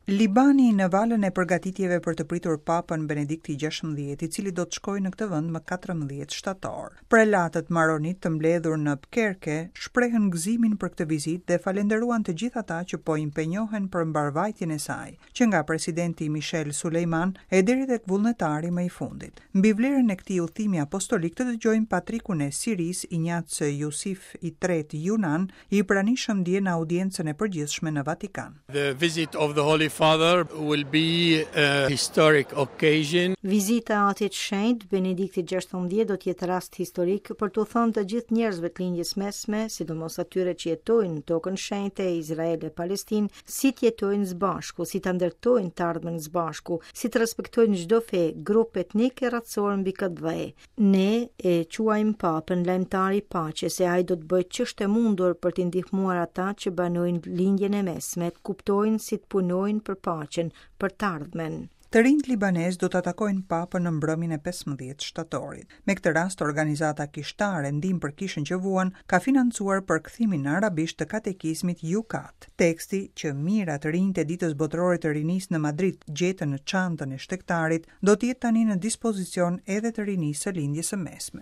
Libani në valën e përgatitjeve për të pritur Papën Benedikti XVI, i cili do të shkojë në këtë vend më 14 shtator. Prelatët maronitë të mbledhur në Bkerke shprehën gëzimin për këtë vizitë dhe falenderuan të gjithë ata që po impenjohen për mbarëvajtjen e saj, që nga presidenti Michel Sulejman e deri tek vullnetari më i fundit. Mbi vlerën e këtij udhëtimi apostolik të dëgjojmë patrikun e Sirisë, Injac Jusif i Tretë Junan, i pranishëm dje në audiencën e përgjithshme në Vatikan. The visit of the Holy Father will be a historic occasion. Vizita e Atit Shenjt, Benediktit XVI do të jetë rast historik për t'u thënë të gjithë njerëzve të Lindjes Mesme, sidomos atyre që jetojnë në tokën shenjte Izrael e Palestinë, si të jetojnë së bashku, si ta ndërtojnë të ardhmen së bashku, si të respektojnë çdo fe, grup etnik e racor mbi këtë dhe. Ne e quajmë Papën lajmëtar i paqes e ai do të bëjë ç'është e mundur për t'i ndihmuar ata që banojnë Lindjen e Mesme të kuptojnë si të punojnë për paqen, për të ardhmen. Të rinjtë libanezë do ta takojnë Papën në mbrëmjen e 15 shtatorit. Me këtë rast, organizata kishtare Ndihmë për Kishën që Vuan ka financuar përkthimin në arabisht të katekizmit Jukat. Teksti që mijëra të rinjtë e Ditës Botërore të Rinisë në Madrid gjetën në çantën e shtegtarit, do të jetë tani në dispozicion edhe të rinisë së Lindjes së Mesme.